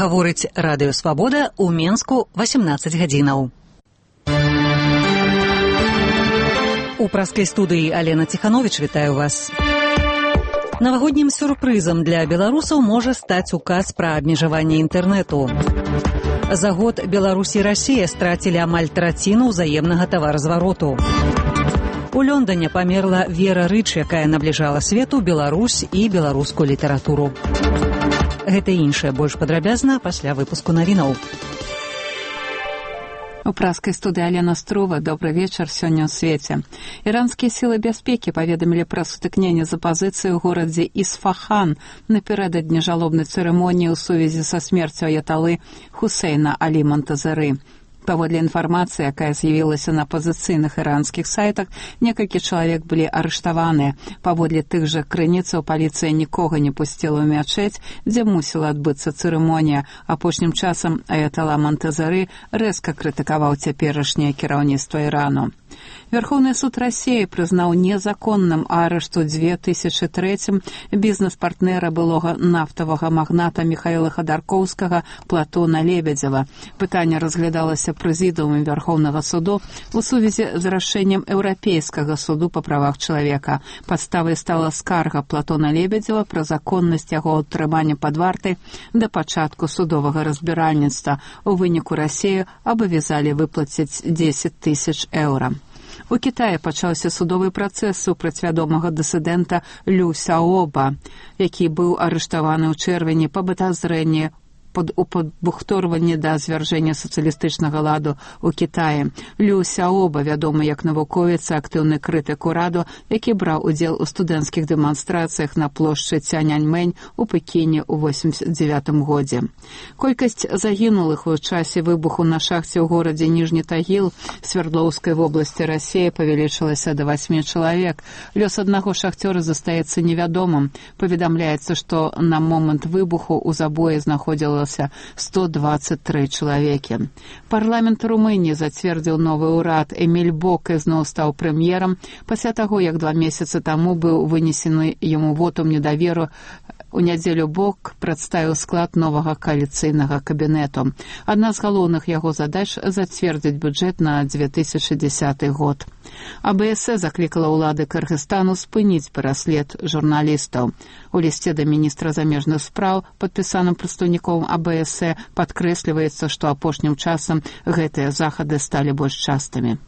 Гаворыць радыё «Свабода» ў Менску 18 гадзінаў. У праскай студыі Алена Ціхановіч вітаю вас. Навагоднім сюрпрызам для беларусаў можа стаць указ пра абмежаванне інтэрнэту. За год Беларусь і Расія страцілі амаль траціну ўзаемнага таваразвароту. У Лондоне памерла Вера Рыч, якая набліжала свету Беларусь і беларускую літаратуру. Гэта і іншае больш падрабязна пасля выпуску навінаў. У праскай студыі Алена Струва. Добры вечар сёння ў свеце. Іранскія сілы бяспекі паведамілі пра сутыкненне з апазіцыяй у горадзе Ісфахан напярэдадні жалобнай цырымоніі ў сувязі са смерцю аяталы Хусейна Алі Монтазары. Паводле інфармацыі, якая з'явілася на апазіцыйных іранскіх сайтах, некалькі чалавек былі арыштаваныя. Паводле тых жа крыніцаў паліцыя нікога не пусціла ў мячэць, дзе мусіла адбыцца цырымонія. Апошнім часам аятала Монтазары рэзка крытыкаваў цяперашняе кіраўніцтва Ірану. Верховный суд России признал незаконным арешт у 2003 бізнес-партнера былога нафтавага магната Михаила Ходорковскага Платона Лебедзева. Пытанне разглядалася прэзідыумам Верховнага суду у сувязі з рашэннем Еўрапейскага суду па правах чалавека. Падставай стала скарга Платона Лебедзева пра законнасць яго ўтрымання пад вартай да пачатку судовага разбіральніцтва. У выніку Расію абавязалі выплаціць 10 000 еўра. У Кітаі пачаўся судовы працэс супраць вядомага дысідэнта Лю Сяоба, які быў арыштаваны ў чэрвені па падазрэнні у падбухторванні да звяржэння сацыялістычнага ладу ў Кітаі. Лю Сяоба, вядомы як навуковец і актыўны крытык ураду, які браў удзел у студэнцкіх дэманстрацыях на плошчы Цяньаньмэнь у Пекіне ў 1989 годзе. Колькасць загінулых у часе выбуху на шахце ў горадзе Ніжні Тагіл Свердлоўскай вобласці Расіі павялічылася да 8 чалавек. Лёс аднаго шахцёра застаецца невядомым. Паведамляецца, што на момант выбуху ў забоі знаходзілася 123 чалавекі. Парламент Румыніі зацвердзіў новы ўрад. Эміль Бок ізноў стаў прэм'ерам пасля таго, як 2 месяцы таму быў вынесены яму вотум недаверу. У нядзелю Бок прадставіў склад новага кааліцыйнага кабінету. Адна з галоўных яго задач зацвердзіць бюджэт на 2010 год. АБС заклікала ўлады Кыргызстану спыніць пераслед журналістаў. У лісце да міністра замежных спраў, падпісаным прадстаўніком АБС, падкрэсліваецца, што апошнім часам гэтыя захады сталі больш частымі.